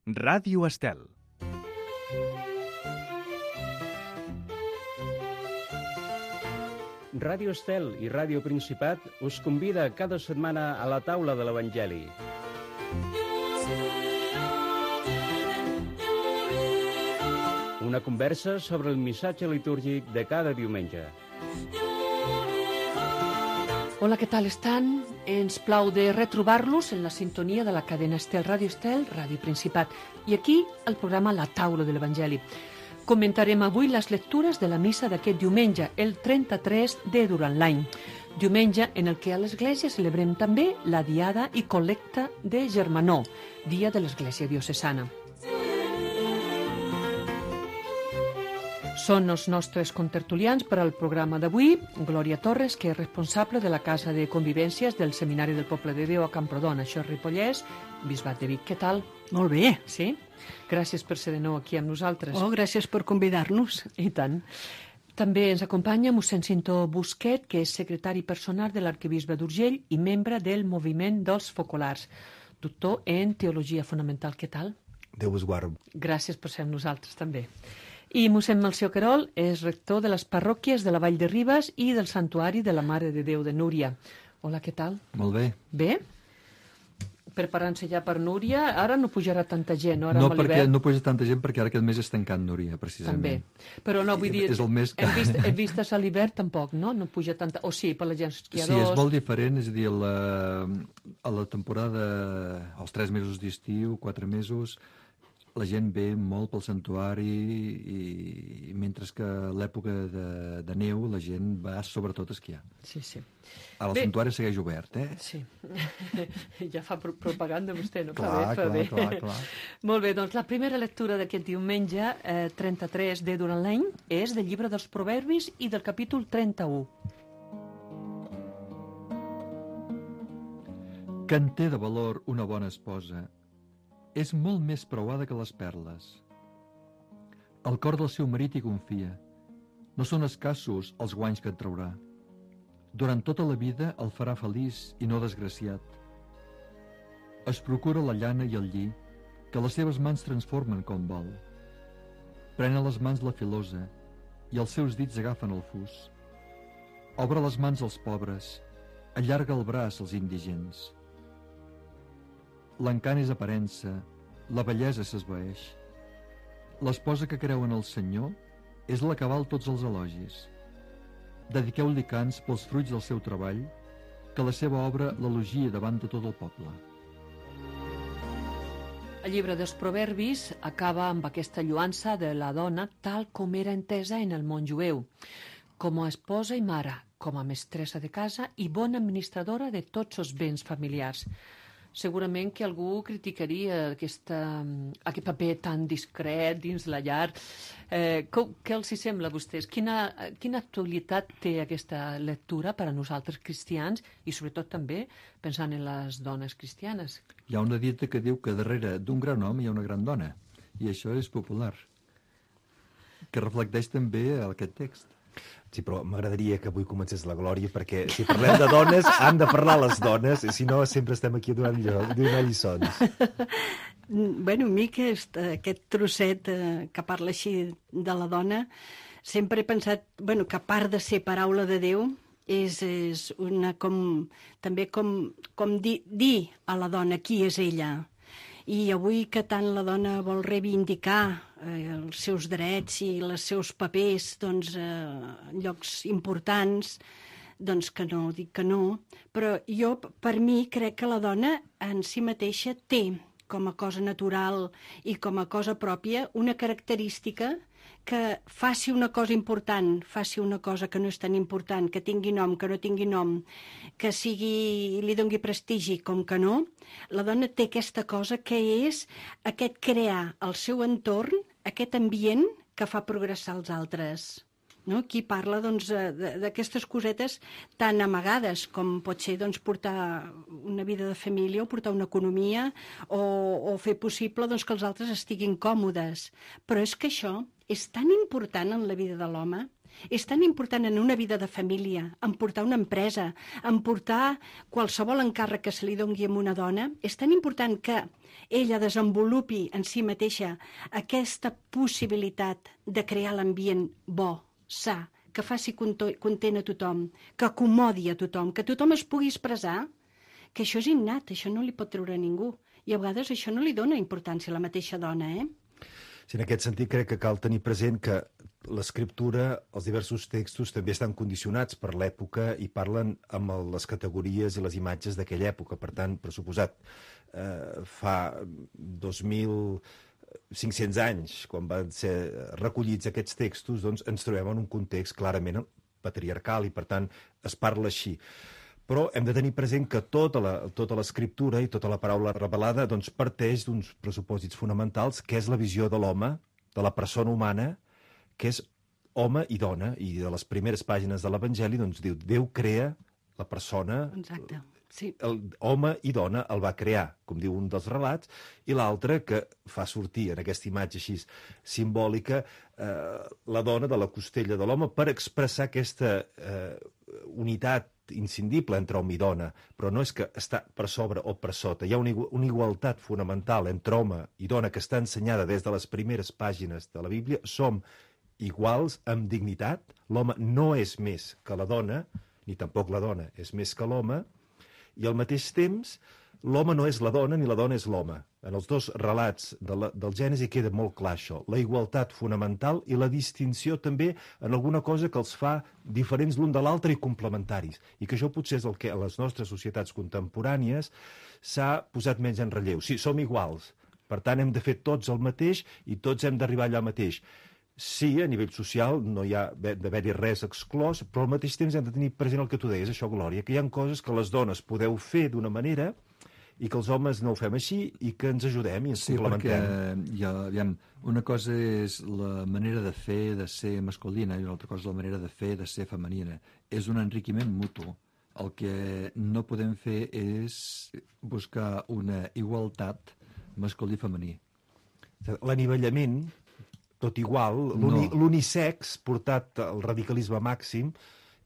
Ràdio Estel. Ràdio Estel i Ràdio Principat us convida cada setmana a la taula de l'Evangeli. Una conversa sobre el missatge litúrgic de cada diumenge. Hola, què tal estan? Ens plau de retrobar-los en la sintonia de la cadena Estel, Ràdio Principat. I aquí el programa La Taula de l'Evangeli. Comentarem avui les lectures de la missa d'aquest diumenge, el 33 de durant l'any. Diumenge en el que a l'Església celebrem també la Diada i Col·lecta de Germanor, dia de l'Església Diocesana. Són els nostres contertulians per al programa d'avui. Glòria Torres, que és responsable de la Casa de Convivències del Seminari del Poble de Déu a Camprodon, això és Ripollès, Bisbat de Vic. Què tal? Molt bé. Sí? Gràcies per ser de nou aquí amb nosaltres. Oh, gràcies per convidar-nos. I tant. També ens acompanya mossèn Cinto Busquet, que és secretari personal de l'arquebisbe d'Urgell i membre del moviment dels focolars. Doctor en Teologia Fonamental. Què tal? Déu vos guard. Gràcies per ser amb nosaltres també. I mossèn Melcior Querol és rector de les parròquies de la Vall de Ribes i del Santuari de la Mare de Déu de Núria. Hola, què tal? Molt bé. Bé? Preparant-se ja per Núria, ara no pujarà tanta gent, no? Ara No, perquè no puja tanta gent perquè ara aquest mes és tancant Núria, precisament. També. Però no, vull dir, és el mes que... hem vist a l'hivern tampoc, no? No puja tanta... O sí, per la gent esquiadors... Sí, és molt diferent, és a dir, a la temporada, als 3 mesos d'estiu, 4 mesos, la gent ve molt pel santuari i mentre que a l'època de neu la gent va sobretot a esquiar. Sí, sí. Ara el santuari segueix obert, eh? Sí. Ja fa propaganda vostè, no? Clar. Molt bé, doncs la primera lectura d'aquest diumenge, 33 de durant l'any, és del llibre dels Proverbis i del capítol 31. Que en té de valor una bona esposa és molt més preuada que les perles. El cor del seu marit hi confia. No són escassos els guanys que et traurà. Durant tota la vida el farà feliç i no desgraciat. Es procura la llana i el lli, que les seves mans transformen com vol. Pren a les mans la filosa i els seus dits agafen el fus. Obre les mans als pobres, allarga el braç als indigents. L'encant és aparença, la bellesa s'esvaeix. L'esposa que creu en el Senyor és la que val tots els elogis. Dediqueu-li cants pels fruits del seu treball, que la seva obra l'elogia davant de tot el poble. El llibre dels Proverbis acaba amb aquesta lloança de la dona tal com era entesa en el món jueu, com a esposa i mare, com a mestressa de casa i bona administradora de tots els béns familiars. Segurament que algú criticaria aquest paper tan discret dins la llar. Què els hi sembla a vostès? Quina actualitat té aquesta lectura per a nosaltres cristians i sobretot també pensant en les dones cristianes? Hi ha una dita que diu que darrere d'un gran home hi ha una gran dona, i això és popular, que reflecteix també aquest text. Sí, però m'agradaria que avui comencés la Glòria, perquè si parlem de dones, han de parlar les dones, i si no sempre estem aquí donant lliçons. Bueno, a mi aquest trosset que parla així de la dona, sempre he pensat que a part de ser paraula de Déu, és una també com dir a la dona qui és ella. I avui que tant la dona vol reivindicar els seus drets i els seus papers en llocs importants, doncs que no, dic que no. Però jo, per mi, crec que la dona en si mateixa té, com a cosa natural i com a cosa pròpia, una característica que faci una cosa important, faci una cosa que no és tan important, que tingui nom, que no tingui nom, que li doni prestigi com que no, la dona té aquesta cosa que és aquest crear el seu entorn, aquest ambient que fa progressar els altres. No? Aquí parla d'aquestes cosetes tan amagades com pot ser portar una vida de família o portar una economia o fer possible que els altres estiguin còmodes. Però és que això és tan important en la vida de l'home És tan important en una vida de família, en portar una empresa, en portar qualsevol encàrrec que se li doni a una dona. És tan important que ella desenvolupi en si mateixa aquesta possibilitat de crear l'ambient bo, sa, que faci content a tothom, que acomodi a tothom, que tothom es pugui expressar, que això és innat, això no li pot treure a ningú. I a vegades això no li dona importància a la mateixa dona, Sí, en aquest sentit crec que cal tenir present que l'escriptura, els diversos textos també estan condicionats per l'època i parlen amb les categories i les imatges d'aquella època. Per tant, per suposat, fa 2.500 anys, quan van ser recollits aquests textos, doncs ens trobem en un context clarament patriarcal i, per tant, es parla així. Però hem de tenir present que tota l'escriptura i tota la paraula revelada doncs, parteix d'uns pressupòsits fonamentals, que és la visió de l'home, de la persona humana, que és home i dona. I de les primeres pàgines de l'Evangeli doncs, diu Déu crea la persona... Exacte. Sí. Home i dona el va crear, com diu un dels relats, i l'altre que fa sortir en aquesta imatge així simbòlica la dona de la costella de l'home per expressar aquesta unitat inscindible entre home i dona, però no és que està per sobre o per sota. Hi ha una igualtat fonamental entre home i dona que està ensenyada des de les primeres pàgines de la Bíblia. Som iguals amb dignitat. L'home no és més que la dona, ni tampoc la dona és més que l'home, i al mateix temps l'home no és la dona ni la dona és l'home. En els dos relats del Gènesi queda molt clar això, la igualtat fonamental i la distinció també en alguna cosa que els fa diferents l'un de l'altre i complementaris, i que això potser és el que a les nostres societats contemporànies s'ha posat menys en relleu. Sí, som iguals, per tant hem de fer tots el mateix i tots hem d'arribar allà mateix. Sí, a nivell social no hi ha d'haver-hi res exclòs, però al mateix temps hem de tenir present el que tu deies, això, Glòria, que hi ha coses que les dones podeu fer d'una manera i que els homes no ho fem així i que ens ajudem i ens complementem. Sí, perquè una cosa és la manera de fer, de ser masculina, i l'altra cosa és la manera de fer, de ser femenina. És un enriquiment mutu. El que no podem fer és buscar una igualtat masculí-femení. L'anivellament, tot igual, l'unisex portat al radicalisme màxim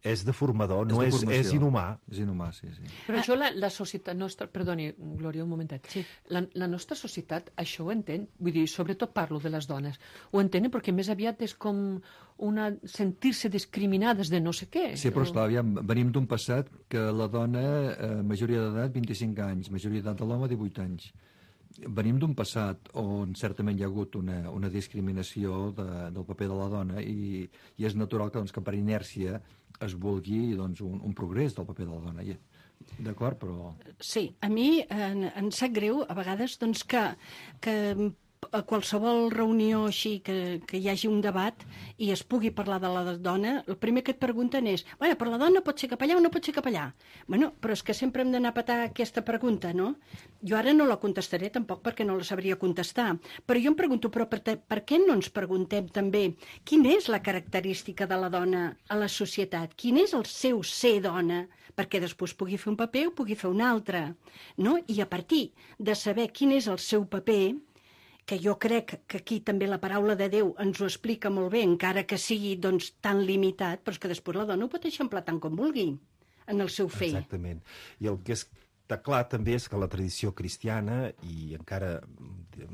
és deformador, és inhumà. És inhumà, sí. Però això la societat nostra... Perdoni, Glòria, un momentet. Sí. La nostra societat això ho entén, vull dir, sobretot parlo de les dones, ho entenen perquè més aviat és com sentir-se discriminades de no sé què. Sí, però esclar, venim d'un passat que la dona, majoria d'edat, 25 anys, majoria d'edat de l'home, 18 anys. Venim d'un passat on certament hi ha hagut una discriminació del paper de la dona i és natural que per inèrcia es vulgui un progrés del paper de la dona. D'acord, però... Sí, a mi em sap greu a vegades que a qualsevol reunió així que hi hagi un debat i es pugui parlar de la dona, el primer que et pregunten és però la dona pot ser capellà o no pot ser capellà? Bueno, però és que sempre hem d'anar a petar aquesta pregunta, no? Jo ara no la contestaré tampoc perquè no la sabria contestar, però jo em pregunto, però per què no ens preguntem també quina és la característica de la dona a la societat? Quin és el seu ser dona? Perquè després pugui fer un paper o pugui fer un altre, no? I a partir de saber quin és el seu paper, que jo crec que aquí també la paraula de Déu ens ho explica molt bé, encara que sigui tan limitat, però és que després la dona ho pot eixamplar tant com vulgui en el seu fer. Exactament. I el que està clar també és que la tradició cristiana, i encara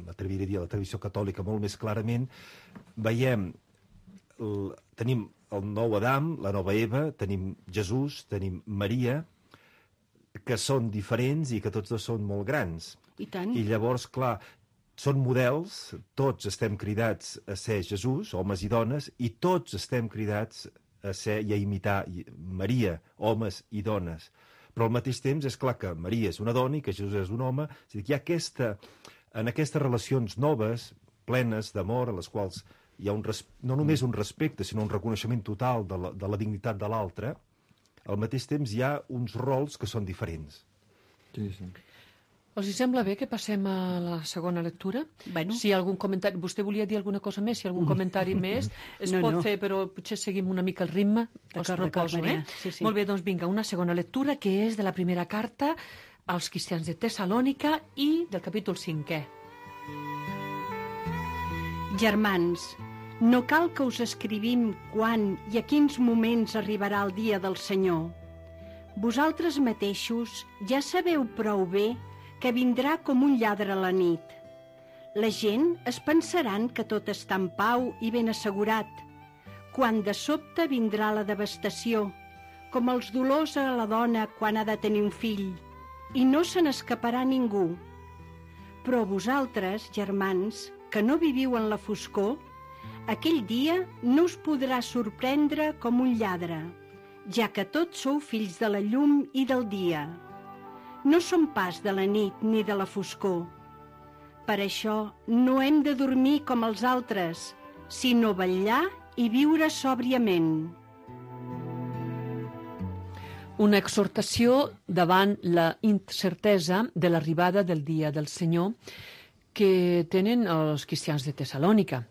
m'atreviré a dir la tradició catòlica molt més clarament, tenim el nou Adam, la nova Eva, tenim Jesús, tenim Maria, que són diferents i que tots dos són molt grans. I tant. I llavors, clar, són models, tots estem cridats a ser Jesús, homes i dones, i tots estem cridats a ser i a imitar Maria, homes i dones. Però al mateix temps és clar que Maria és una dona i que Jesús és un home. És a dir, que hi ha en aquestes relacions noves, plenes d'amor, a les quals hi ha no només un respecte, sinó un reconeixement total de la dignitat de l'altre, al mateix temps hi ha uns rols que són diferents. Sí, sí. Els sembla bé que passem a la segona lectura? Bueno. Si hi ha algun comentari... Vostè volia dir alguna cosa més? Si hi ha algun comentari més, es pot fer, però potser seguim una mica el ritme. Els proposo, Sí. Molt bé, doncs vinga, una segona lectura que és de la primera carta als cristians de Tessalònica i del capítol 5è. Germans, No cal que us escrivim quan i a quins moments arribarà el dia del Senyor. Vosaltres mateixos ja sabeu prou bé que vindrà com un lladre a la nit. La gent es pensaran que tot està en pau i ben assegurat, quan de sobte vindrà la devastació, com els dolors a la dona quan ha de tenir un fill, i no se n'escaparà ningú. Però vosaltres, germans, que no viviu en la foscor, aquell dia no us podrà sorprendre com un lladre, ja que tots sou fills de la llum i del dia. No som pas de la nit ni de la foscor. Per això no hem de dormir com els altres, sinó vetllar i viure sòbriament. Una exhortació davant la incertesa de l'arribada del dia del Senyor que tenen els cristians de Tessalònica,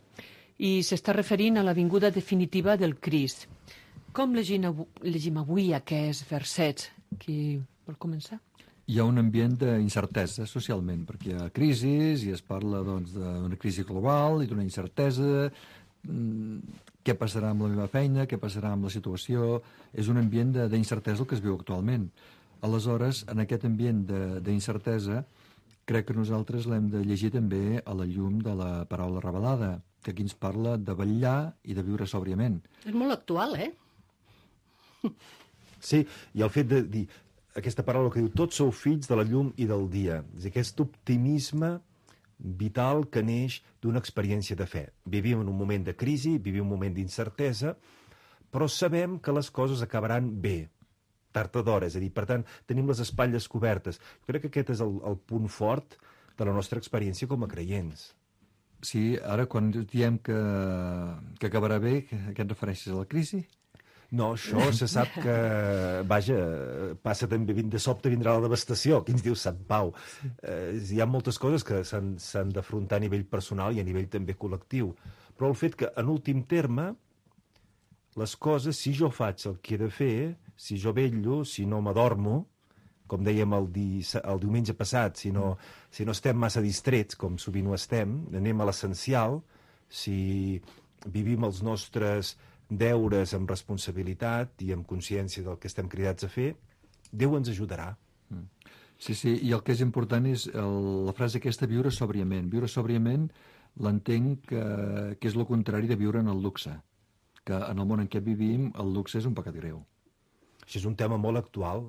i s'està referint a la vinguda definitiva del Crist. Com llegim avui aquests versets? Qui vol començar? Hi ha un ambient d'incertesa socialment, perquè hi ha crisis i es parla d'una crisi global i d'una incertesa, què passarà amb la meva feina, què passarà amb la situació. És un ambient d'incertesa el que es viu actualment. Aleshores, en aquest ambient d'incertesa, crec que nosaltres l'hem de llegir també a la llum de la paraula revelada, que aquí ens parla de vetllar i de viure sòbriament. És molt actual, Sí, i el fet de dir aquesta paraula que diu tots sou fills de la llum i del dia, és a dir, aquest optimisme vital que neix d'una experiència de fe. Vivim en un moment de crisi, vivim un moment d'incertesa, però sabem que les coses acabaran bé, tard o d'hora, és a dir, per tant, tenim les espatlles cobertes. Jo crec que aquest és el punt fort de la nostra experiència com a creients. Sí, ara quan diem que acabarà bé, què et refereixes a la crisi? No, això se sap que, vaja, passa també, de sobte vindrà la devastació, aquí ens diu Sant Pau. Hi ha moltes coses que s'han d'afrontar a nivell personal i a nivell també col·lectiu. Però el fet que, en últim terme, les coses, si jo faig el que he de fer, si jo vetllo, si no m'adormo, com dèiem el diumenge passat, si no estem massa distrets, com sovint ho estem, anem a l'essencial, si vivim els nostres deures amb responsabilitat i amb consciència del que estem cridats a fer, Déu ens ajudarà. Sí, i el que és important és la frase aquesta, viure sòbriament. Viure sòbriament l'entenc que és el contrari de viure en el luxe, que en el món en què vivim el luxe és un pecat greu. Això és un tema molt actual,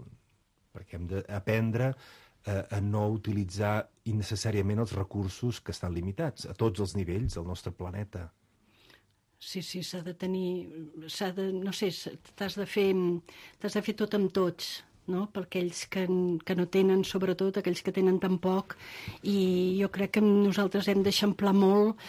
perquè hem d'aprendre a no utilitzar innecessàriament els recursos que estan limitats a tots els nivells del nostre planeta. Sí, s'ha de tenir... no sé, t'has de fer tot amb tots, no? Per aquells que no tenen, sobretot, aquells que tenen tan poc. I jo crec que nosaltres hem d'eixamplar molt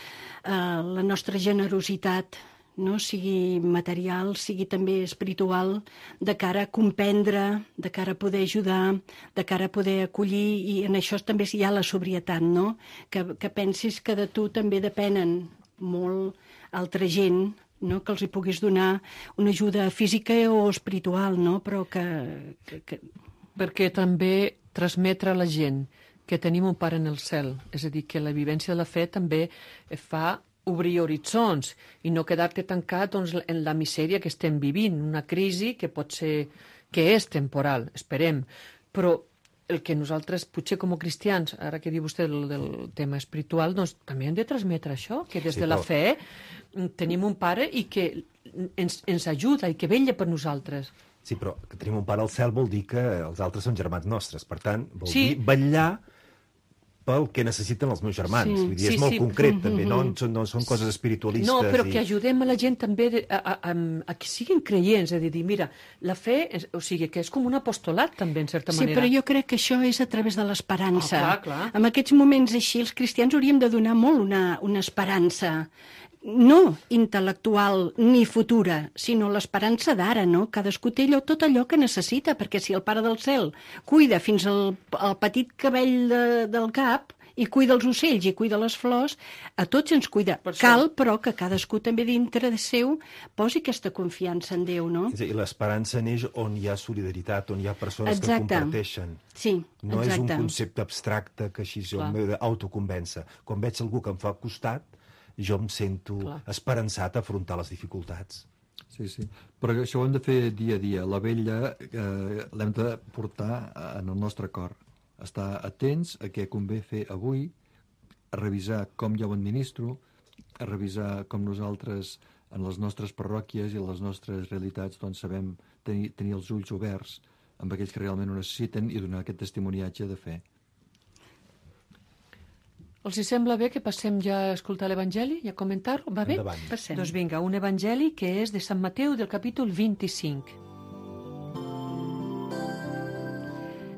la nostra generositat, no? Sigui material, sigui també espiritual, de cara a comprendre, de cara a poder ajudar, de cara a poder acollir, i en això també hi ha la sobrietat, no? Que pensis que de tu també depenen molt altra gent, no? Que els hi puguis donar una ajuda física o espiritual, no? Però que... Perquè també transmetre a la gent que tenim un pare en el cel, és a dir, que la vivència de la fe també fa obrir horitzons i no quedar-te tancat en la misèria que estem vivint, una crisi que pot ser, que és temporal, esperem, però el que nosaltres, potser com a cristians, ara que diu vostè del tema espiritual, doncs també hem de transmetre això, que des de la fe tenim un pare i que ens ajuda i que vetlla per nosaltres. Sí, però que tenim un pare al cel vol dir que els altres són germans nostres. Per tant, vol dir vetllar pel que necessiten els meus germans. Vull dir, és molt concret, també, no són coses espiritualistes. No, però que ajudem a la gent també a que siguin creients, és a dir, mira, la fe, o sigui, que és com un apostolat, també, en certa manera. Sí, però jo crec que això és a través de l'esperança. Clar. En aquests moments així, els cristians hauríem de donar molt una esperança, no intel·lectual ni futura, sinó l'esperança d'ara, no? Cadascú té tot allò que necessita, perquè si el Pare del Cel cuida fins al petit cabell del cap i cuida els ocells i cuida les flors, a tots ens cuida. Cal, però, que cadascú també dintre de seu posi aquesta confiança en Déu, no? I l'esperança neix on hi ha solidaritat, on hi ha persones que comparteixen. Sí, no és un concepte abstracte que així jo m'he d'autoconvèncer. Quan veig algú que em fa costat, jo em sento esperançat a afrontar les dificultats. Sí, sí. Però això ho hem de fer dia a dia. La vella l'hem de portar en el nostre cor. Estar atents a què convé fer avui, a revisar com jo ho administro, a revisar com nosaltres en les nostres parròquies i en les nostres realitats doncs sabem tenir els ulls oberts amb aquells que realment ho necessiten i donar aquest testimoniatge de fe. Els hi sembla bé que passem ja a escoltar l'Evangeli i a comentar-ho? Va bé? Endavant. Passem. Doncs vinga, un Evangeli que és de Sant Mateu del capítol 25.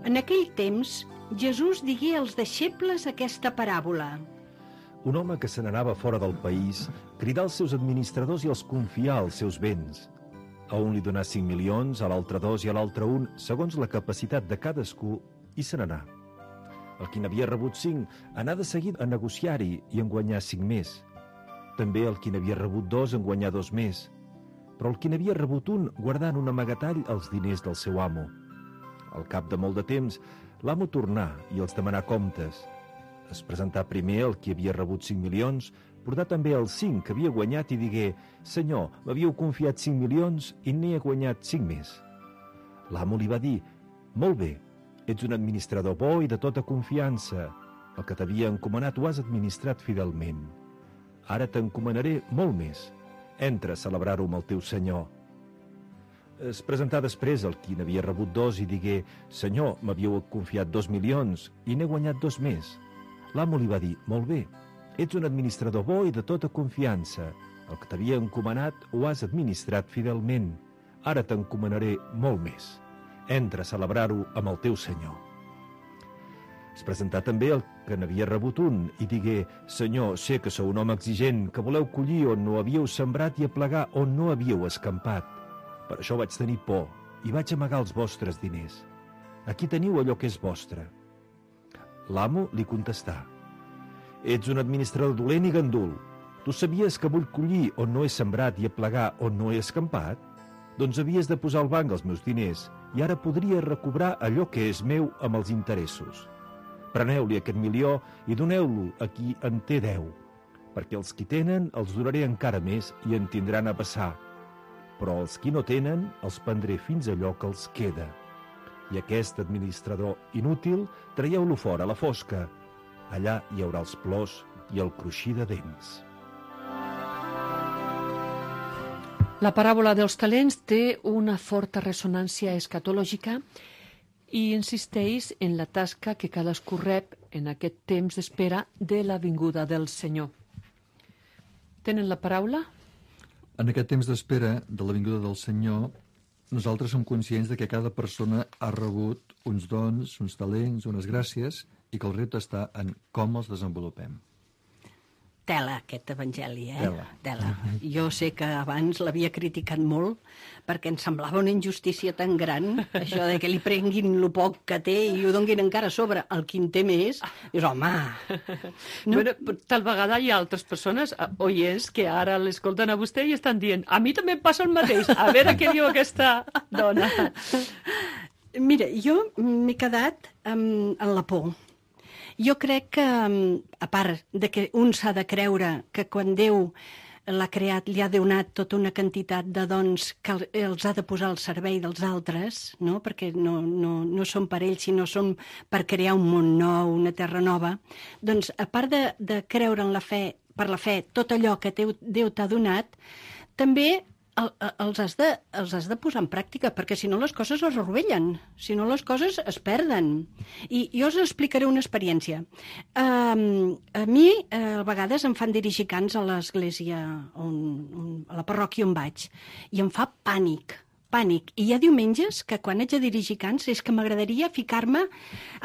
En aquell temps, Jesús digué als deixebles aquesta paràbola. Un home que se n'anava fora del país cridà als seus administradors i els confià els seus béns. A un li donà 5 milions, a l'altre 2 i a l'altre 1, segons la capacitat de cadascú, i se n'anà. El qui n'havia rebut 5 anà de seguit a negociar-hi i en guanyar 5 més. També el qui n'havia rebut 2 en guanyar 2 més. Però el qui n'havia rebut 1 guardà en un amagatall els diners del seu amo. Al cap de molt de temps, l'amo tornà i els demanà comptes. Es presentà primer el qui havia rebut 5 milions, portà també els 5 que havia guanyat i digué: «Senyor, m'havíeu confiat 5 milions i n'he guanyat 5 més». L'amo li va dir: «Molt bé, ets un administrador bo i de tota confiança. El que t'havia encomanat ho has administrat fidelment. Ara t'encomanaré molt més. Entra a celebrar-ho amb el teu senyor». Es presentà després el qui n'havia rebut 2 i digué: «Senyor, m'havíeu confiat 2 milions i n'he guanyat 2 més». L'amo li va dir: «Molt bé, ets un administrador bo i de tota confiança. El que t'havia encomanat ho has administrat fidelment. Ara t'encomanaré molt més. Entra a celebrar-ho amb el teu senyor». Es presentà també el que n'havia rebut 1 i digué: «Senyor, sé que sou un home exigent, que voleu collir on no havíeu sembrat i aplegar on no havíeu escampat. Per això vaig tenir por i vaig amagar els vostres diners. Aquí teniu allò que és vostre». L'amo li contestà: «Ets un administrador dolent i gandul. Tu sabies que vull collir on no he sembrat i aplegar on no he escampat? Doncs havies de posar al banc els meus diners i ara podria recobrar allò que és meu amb els interessos. Preneu-li aquest 1 milió i doneu-lo a qui en té 10, perquè els qui tenen els donaré encara més i en tindran a passar. Però els qui no tenen els prendré fins allò que els queda. I aquest administrador inútil traieu-lo fora a la fosca. Allà hi haurà els plors i el cruixir de dents». La paràbola dels talents té una forta ressonància escatològica i insisteix en la tasca que cadascú rep en aquest temps d'espera de la vinguda del Senyor. Tenen la paraula? En aquest temps d'espera de la vinguda del Senyor, nosaltres som conscients de que cada persona ha rebut uns dons, uns talents, unes gràcies, i que el repte està en com els desenvolupem. Tela, aquest evangeli, Tela. Jo sé que abans l'havia criticat molt perquè em semblava una injustícia tan gran, això de que li prenguin lo poc que té i ho donguin encara a sobre el qui en té més. Dius, home... No? Bueno, tal vegada hi ha altres persones, oients, que ara l'escolten a vostè i estan dient: a mi també em passa el mateix, a veure què diu aquesta dona. Mira, jo m'he quedat en la por. Jo crec que, a part de que un s'ha de creure que quan Déu l'ha creat li ha donat tota una quantitat de dons que els ha de posar al servei dels altres, no? Perquè no són per ells, sinó són per crear un món nou, una terra nova. Doncs, a part de creure en la fe, per la fe, tot allò que Déu t'ha donat, també els has de posar en pràctica, perquè si no les coses es rovellen, si no les coses es perden. I jo us explicaré una experiència. A mi, a vegades, em fan dirigir cants a l'església, a la parròquia on vaig, i em fa pànic. I hi ha diumenges que quan haig de dirigir cants és que m'agradaria ficar-me,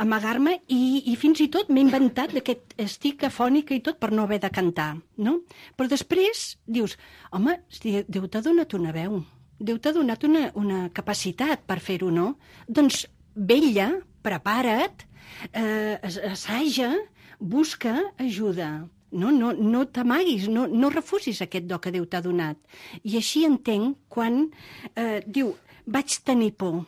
amagar-me, i fins i tot m'he inventat que estic afònica i tot per no haver de cantar, no? Però després dius, home, Déu t'ha donat una veu, Déu t'ha donat una capacitat per fer-ho, no? Doncs vetlla, prepara't, assaja, busca ajuda. No t'amaguis, no refusis aquest do que Déu t'ha donat. I així entenc quan diu, vaig tenir por.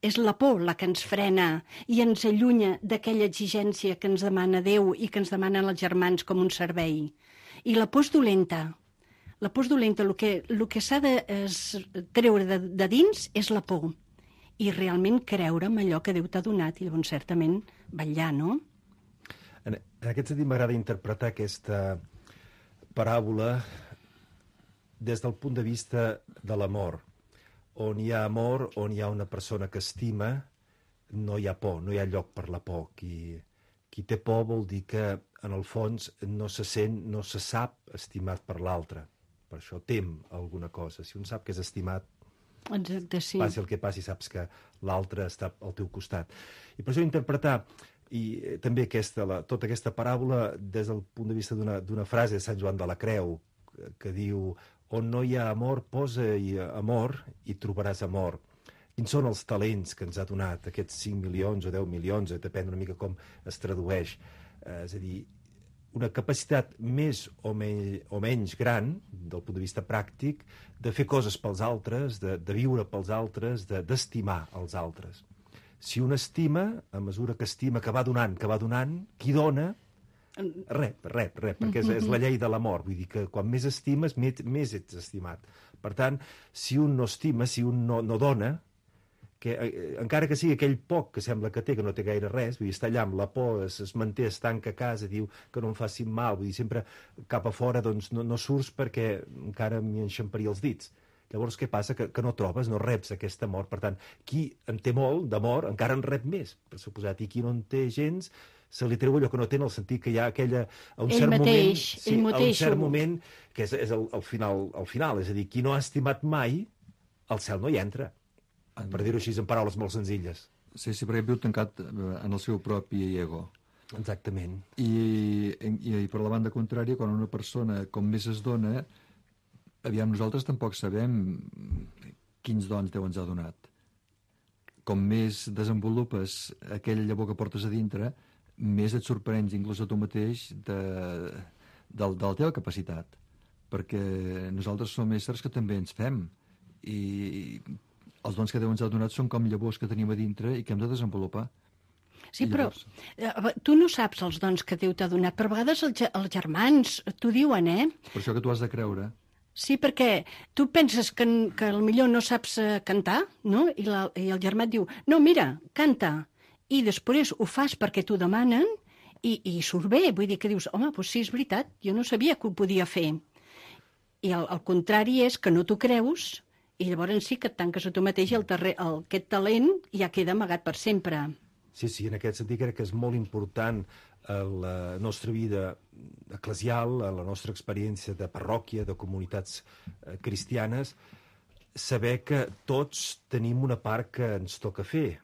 És la por la que ens frena i ens allunya d'aquella exigència que ens demana Déu i que ens demanen els germans com un servei. I la por és dolenta. La por és dolenta. El que s'ha de treure de dins és la por. I realment creure en allò que Déu t'ha donat i llavors certament vetllar, no? En aquest sentit m'agrada interpretar aquesta paràbola des del punt de vista de l'amor. On hi ha amor, on hi ha una persona que estima, no hi ha por, no hi ha lloc per la por. Qui té por vol dir que, en el fons, no se sent, no se sap estimat per l'altre. Per això tem alguna cosa. Si un sap que és estimat, Exacte, sí. passi el que passi, saps que l'altre està al teu costat. I per això interpretar i també tota aquesta paràbola des del punt de vista d'una frase de Sant Joan de la Creu que diu: on no hi ha amor, posa-hi amor i trobaràs amor. Quins són els talents que ens ha donat aquests 5 milions o 10 milions, depèn una mica com es tradueix. És a dir, una capacitat més o menys gran, del punt de vista pràctic, de fer coses pels altres, de viure pels altres, d'estimar els altres. Si un estima, a mesura que estima, que va donant, qui dona, rep, perquè és la llei de l'amor. Vull dir que quan més estimes, més ets estimat. Per tant, si un no estima, si un no dona, que encara que sigui aquell poc que sembla que té, que no té gaire res, vull dir, està allà amb la por, es manté, es tanca a casa, diu que no em facin mal, vull dir, sempre cap a fora doncs no surts perquè encara m'hi enxamparia els dits. Llavors què passa? Que no trobes, no reps aquest amor. Per tant, qui en té molt d'amor encara en rep més, per suposat, i qui no en té gens se li treu allò que no té, en el sentit que hi ha aquella... A un cert moment, que és el final, és a dir, qui no ha estimat mai, al cel no hi entra. Per dir-ho així en paraules molt senzilles. Sí, perquè viu tancat en el seu propi ego. Exactament. I per la banda contrària, quan una persona com més es dona, aviam, nosaltres tampoc sabem quins dons Déu ens ha donat. Com més desenvolupes aquella llavor que portes a dintre, més et sorprens inclús a tu mateix de la teva capacitat. Perquè nosaltres som éssers que també ens fem. I els dons que Déu ens ha donat són com llavors que tenim a dintre i que hem de desenvolupar. Sí, però tu no saps els dons que Déu t'ha donat, però a vegades els germans t'ho diuen, Per això que tu has de creure. Sí, perquè tu penses que potser no saps cantar, no? I el germà et diu, no, mira, canta. I després ho fas perquè t'ho demanen i surt bé. Vull dir que dius, home, doncs sí, és veritat, jo no sabia que ho podia fer. I el contrari és que no t'ho creus i llavors sí que et tanques a tu mateix i aquest talent ja queda amagat per sempre. Sí, en aquest sentit crec que és molt important a la nostra vida eclesial, a la nostra experiència de parròquia, de comunitats cristianes, saber que tots tenim una part que ens toca fer,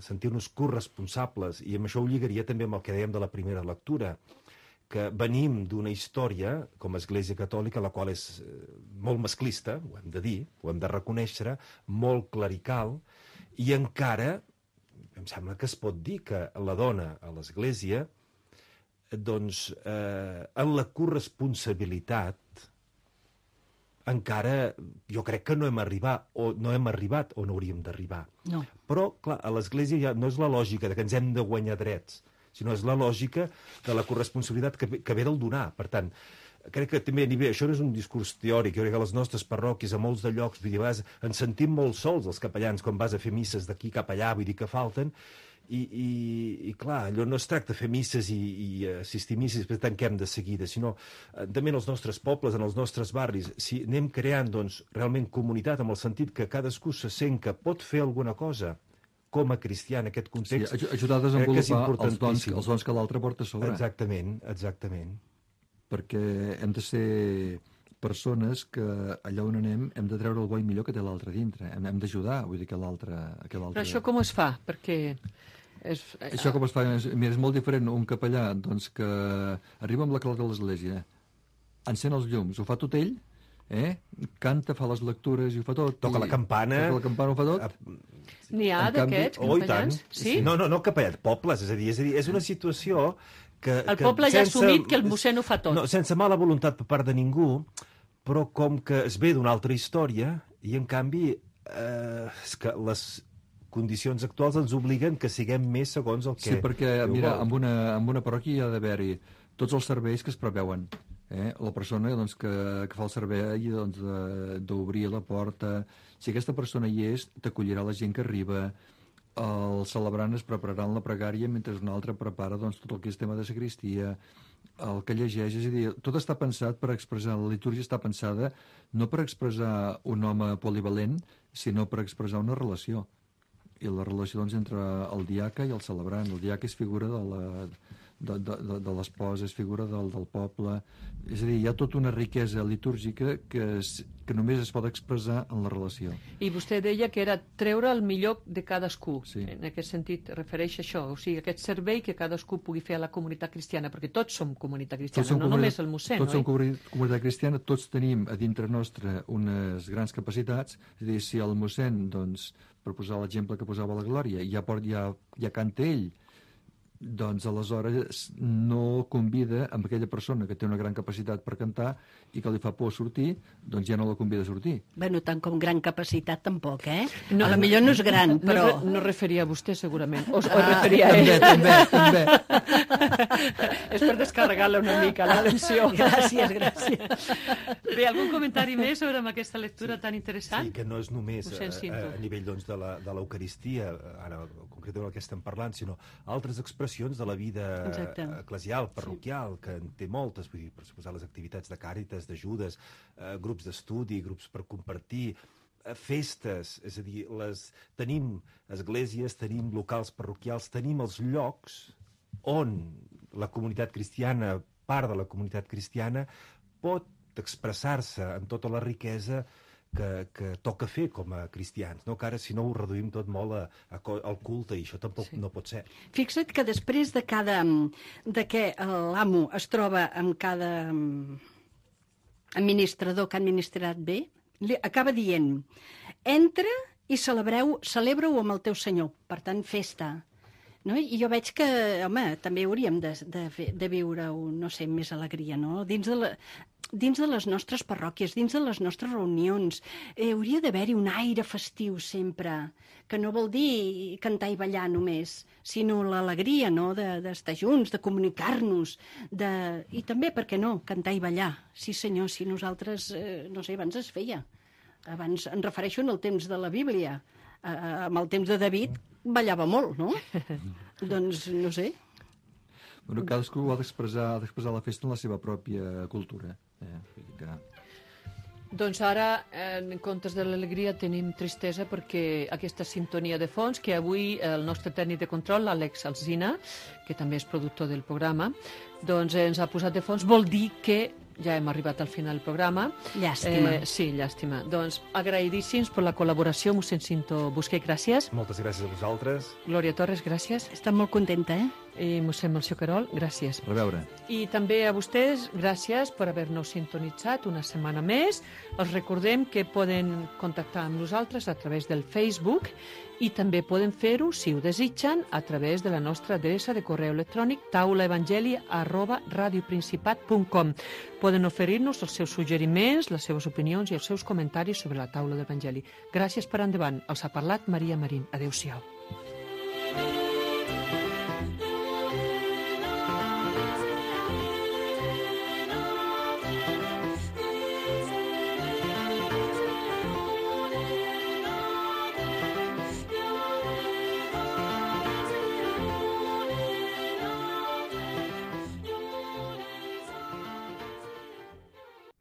sentir-nos corresponsables, i amb això ho lligaria també amb el que dèiem de la primera lectura, que venim d'una història, com a Església Catòlica, la qual és molt masclista, ho hem de dir, ho hem de reconèixer, molt clerical, i encara, em sembla que es pot dir que la dona a l'Església, doncs, en la corresponsabilitat, encara jo crec que no hem arribat on hauríem d'arribar. No. Però, clar, a l'Església ja no és la lògica de que ens hem de guanyar drets, sinó és la lògica de la corresponsabilitat que ve del donar. Per tant, crec que també això no és un discurs teòric, jo crec que a les nostres parròquies, a molts de llocs, vull dir, ens sentim molt sols els capellans quan vas a fer misses d'aquí cap allà, vull dir que falten, i clar, allò no es tracta de fer misses i assistir a misses i després tanquem de seguida, sinó també en els nostres pobles, en els nostres barris, si anem creant doncs, realment comunitat, amb el sentit que cadascú se sent que pot fer alguna cosa com a cristià en aquest context. Sí, ajudar a desenvolupar els dons que l'altre porta a sobre. Exactament. Perquè hem de ser persones que allà on anem hem de treure el bo i millor que té l'altre dintre. Hem d'ajudar, vull dir que l'altre... Però això com es fa? Perquè... Això com es fa? Mira, és molt diferent un capellà doncs, que arriba amb la clau de l'església, encén els llums, ho fa tot ell, canta, fa les lectures i ho fa tot. Toca la campana, ho fa tot. N'hi ha d'aquests capellans? Sí? No, capellans, pobles, és a dir, és una situació que... El poble ja ha assumit que el mossèn ho fa tot. No, sense mala voluntat per part de ningú, però com que es ve d'una altra història, i en canvi és que les condicions actuals ens obliguen que siguem més segons el que... Sí, perquè, mira, en una parròquia hi ha d'haver-hi tots els serveis que es preveuen. La persona doncs, que fa el servei doncs, d'obrir la porta. Si aquesta persona hi és, t'acollirà la gent que arriba. El celebrant es prepararà en la pregària mentre un altre prepara doncs, tot el que és tema de sagristia, el que llegeix. És a dir, tot està pensat per expressar, la litúrgia està pensada no per expressar un home polivalent, sinó per expressar una relació. I la relació doncs, entre el diaca i el celebrant. El diaca és figura de l'esposa, és figura del poble. És a dir, hi ha tota una riquesa litúrgica que només es pot expressar en la relació. I vostè deia que era treure el millor de cadascú. Sí. En aquest sentit refereix a això, o sigui, aquest servei que cadascú pugui fer a la comunitat cristiana, perquè tots som comunitat cristiana, no només el mossèn, tots som comunitat cristiana, tots tenim a dintre nostre unes grans capacitats. És a dir, si el mossèn, doncs, per posar l'exemple que posava la Glòria, ja canta ell, doncs aleshores no convida amb aquella persona que té una gran capacitat per cantar i que li fa por sortir, doncs ja no la convida a sortir. Bueno, tant com gran capacitat tampoc, eh? No, a la millor no és gran, però... No referia a vostè, segurament. O referia a ell. També. És per descarregar-la una mica, la lesió. Gràcies. Bé, algun comentari més sobre aquesta lectura tan interessant? Sí, que no és només a nivell doncs, de l'Eucaristia, ara concretament el que estem parlant, sinó altres expressions de la vida eclesial, parroquial, que en té moltes, vull dir, per suposar les activitats de càritas, d'ajudes, grups d'estudi, grups per compartir, festes, és a dir, tenim esglésies, tenim locals parroquials, tenim els llocs on la comunitat cristiana, part de la comunitat cristiana, pot expressar-se en tota la riquesa que toca fer com a cristians, no? Que ara, si no, ho reduïm tot molt al culte, i això tampoc no pot ser. Fixa't que després de que l'amo es troba amb cada administrador que ha administrat bé, li acaba dient: entra i celebra-ho amb el teu senyor. Per tant, festa. No? I jo veig que, home, també hauríem de viure, no sé, més alegria, no? Dins de les nostres parròquies, dins de les nostres reunions, hauria d'haver-hi un aire festiu sempre, que no vol dir cantar i ballar només, sinó l'alegria, no?, d'estar junts, de comunicar-nos, i també, per què no?, cantar i ballar. Sí, senyor, si nosaltres, no sé, abans es feia. Abans em refereixo en el temps de la Bíblia. Amb el temps de David ballava molt, no? Doncs, no sé. Bueno, cadascú ha d'expressar la festa en la seva pròpia cultura. Doncs ara, en comptes de l'alegria, tenim tristesa perquè aquesta sintonia de fons, que avui el nostre tècnic de control, l'Àlex Alsina, que també és productor del programa, doncs ens ha posat de fons, vol dir que ja hem arribat al final del programa. Llàstima. Sí, llàstima. Doncs agraïdíssims per la col·laboració, mossèn Cinto Busquet, gràcies. Moltes gràcies a vosaltres. Glòria Torres, gràcies. Estic molt contenta, I mossèn Melcior Querol, gràcies. A reveure. I també a vostès, gràcies per haver-nos sintonitzat una setmana més. Els recordem que poden contactar amb nosaltres a través del Facebook i també poden fer-ho, si ho desitgen, a través de la nostra adreça de correu electrònic taulaevangeli@radioprincipat.com. Poden oferir-nos els seus suggeriments, les seves opinions i els seus comentaris sobre la taula d'Evangeli. Gràcies per endavant. Els ha parlat Maria Marín. Adéu-siau.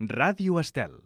Ràdio Estel.